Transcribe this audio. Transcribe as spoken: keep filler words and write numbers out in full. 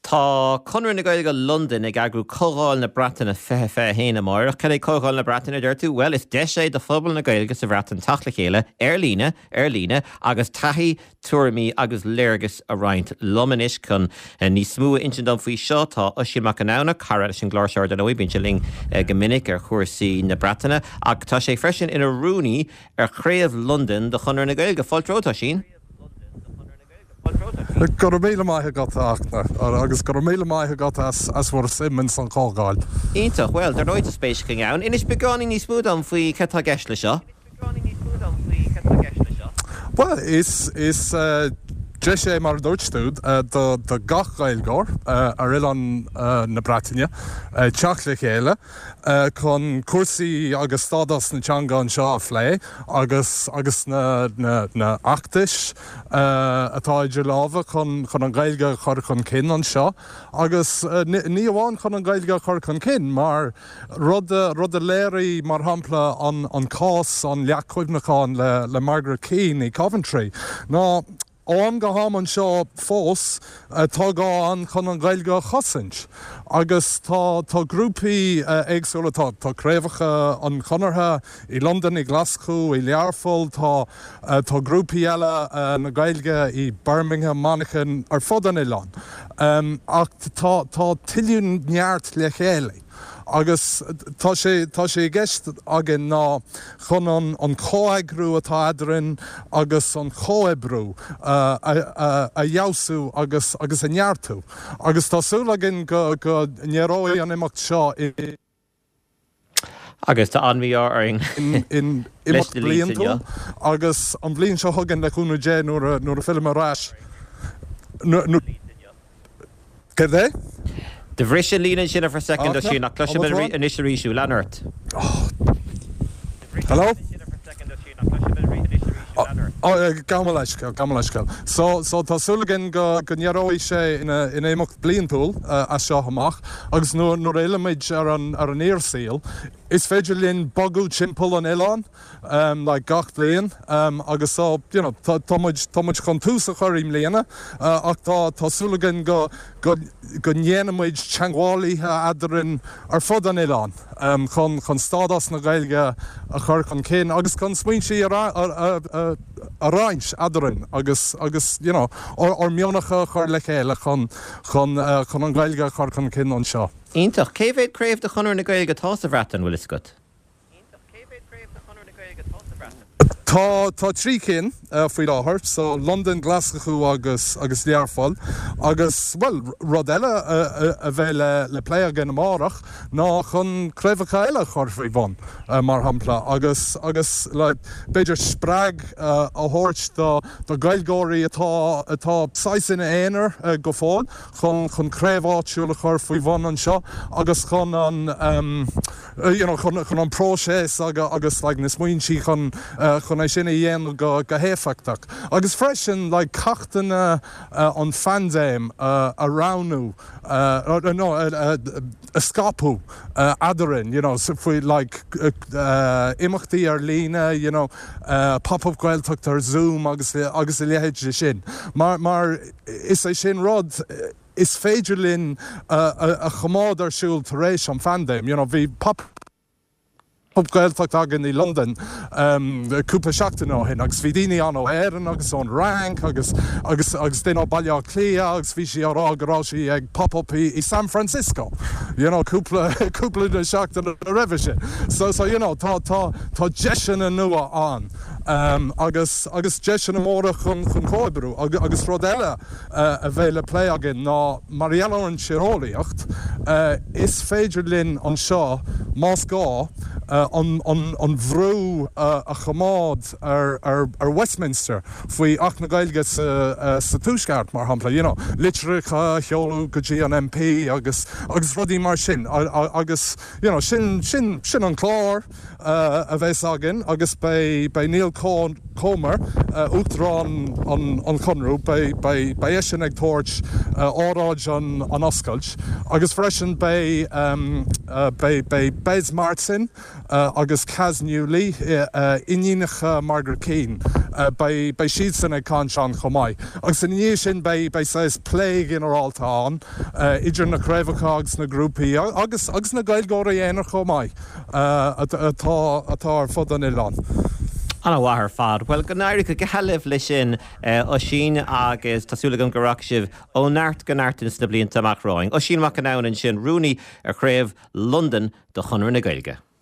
Tá Conradh na Gaeilge Londain ag eagrú Comhdháil na Breataine fiche fiche haon amárach. Cad é Comhdháil na Breataine, deir tú? Well, is deis é do phobal na Gaeilge sa Bhreatain teacht le chéile ar líne ar líne agus taithí, tuairimí agus léargas a roinnt. Liom anois chun níos mó a insint dom faoi seo tá Oisín Mac Conamhna, cara leis an gclár seo ar ndóigh, bíonn sé linn go minic ar chúrsaí na Breataine, ach tá sé freisin ina rúnaí ar chraobh Londain de Chonradh na Gaeilge. Fáilte romhat, Oisín. Go raibh míle maith agat, a Fhachtna, agus go raibh míle maith agat as as bhur suim in san chomhdháil. Iontach, well, dar ndóigh tá spéis againn ann. Inis beagáinín níos mó dom faoi cad tá i gceist le seo. Well, is is uh, deis é mar a dúirt tú uh, do, do gach Gaeilgeoir uh, ar oileán uh, na Breataine uh, teacht le chéile uh, chun cúrsaí agus stádas na teanga anseo a phlé agus agus na, na, na feachtais uh, atá idir lámha chun chun an Ghaeilge a chur chun cinn anseo agus uh, ní amháin chun an Ghaeilge a chur chun cinn mar rud rud a léirigh mar shampla an, an cás an leacht cuimhneacháin le, le Margaret Keane i Coventry. Ná ó am go ham anseo fós tá gá an chun an Ghaeilge a chosaint. Agus tá tá grúpaí éagsúla tá tá craobhacha an Chonartha i Londain i Glasgow i Learpholl tá tá grúpaí eile na Gaeilge i Birmingham Manchain ar fud an oileáin. Um, ach tá tá tuilleadh neart le chéile. Agus tá sé tá sé i gceist againn ná chun an, an comheagrú atá eadrainn agus an comhoibriú uh, a, a, a fheabhsú agus agus a neartú. Agus tá súil againn go go n-éireoidh an imeacht seo i Agus tá an mí-ádh orainn in, in imeacht bliantúil agus an bhliain seo chugainn le cúnamh Dé nuair nuair a fhillim ar ais. Céard é? Do bhris an líne sin for second sin ach cloisim anois arís lean ort. Hello? Gabh mo leithscéal, gabh mo leithscéal. So, so tá súil againn go go n-éireoidh sé ina ina imeacht bliantúil uh, as seo amach, agus nuair nuair a fhillimid ar an ar an fhíorshaol, is féidir linn bogadh timpeall an oileáin um, like gach bliain um, agus so you know, tá tá muid tá muid chun tús a chur i mbliana uh, ach tá tá súil againn go go go ndéanfaimid teagmhálaithe eadrainn ar fud an oileáin um, chun chun stádas na Gaeilge a chur chun cinn agus chun smaointe a, a, a, a, a roinnt eadrainn agus agus you know, ár ár meoncha a chur le chéile chun chun uh, chun an Ghaeilge a chur chun cinn anseo. Iontach, cé mhéad craobh de Chonradh na Gaeilge atá sa Bhreatain bhfuil a fhios agat? Tá tá trí cinn uh, faoi láthair, so London, Glasgow agus agus Learpholl agus well rud eile uh, a bheidh le le plé againn amárach ná chun craobhacha eile a chur faoi bhun uh, mar shampla agus agus le b'fhéidir spreag uh, a thabhairt do do Ghaeilgeoirí atá atá saghas ina n-aonar uh, go fóill chun chun craobh áitiúil a chur faoi bhun anseo agus chun an um, uh, you know, chun, chun an próiseas agus, agus like, na smaointe chun uh, chun é sin a dhéanamh go go héifeachtach. Agus freisin like, ceachtanna uh, an phaindéim uh, a roghnú uh, no, uh, uh, a scaipeadh uh, eadrainn, you know, so faoi like, uh, uh, imeachtaí ar líne, you know, uh, pop-up Gaeltacht ar Zoom agus agus a leithéid sin. Mar, mar is é sin rud is féidir linn uh, a, a choimeád ar siúl tar éis an phaindéim, you know, bhí pop Pop Gaeltacht againn i London um, cúpla seachtain ó shin agus bhí daoine ann ó Éirinn agus ón Fhrainc agus agus agus duine ó Baile Átha Cliath agus bhí sí á rá go raibh sí ag pop-up i, i San Francisco. You know, cúpla cúpla de seachtain roimhe sin. So so you know, tá tá tá deiseanna nua ann. Um, agus agus deiseanna móra chun chun comhoibriú agus, agus rud eile uh, a bheidh le plé againn ná mar gheall ar an tíreolaíocht uh, is féidir linn anseo más gá uh, an, an, an bhrú uh, a choimeád ar, ar, ar Westminster faoi Acht na Gaeilge sa, uh, sa Tuaisceart mar shampla you know, litreacha a sheoladh go dtí an M P agus agus rudaí mar sin a, a, agus you know, sin, sin, sin an clár uh, a bheas againn agus beidh beidh Neil Comer uh, Uachtarán an, an Chonradh beidh sin ag tabhairt uh, óráid an, an oscailt agus freisin beidh um, uh, beidh beidh Bez Martin uh, agus Kaz Newley uh, iníonacha Margaret Keane Beidh beidh siadsan ag caint ann chomh maith. Agus ina dhiaidh sin beidh beidh saghas plé ginearálta ann idir na craobhacha agus na grúpaí agus agus na Gaeilgeoirí aonair chomh maith atá atá ar fud an oileáin. An-mhaith ar fad. Bhuel go n-éirí go geal libh leis sin Oisín agus tá súil agam go rachaidh sibh ó neart go neart sna blianta amach romhainn. Oisín Mac an ansin rúnaí ar chraobh Londain de Chonradh na Gaeilge.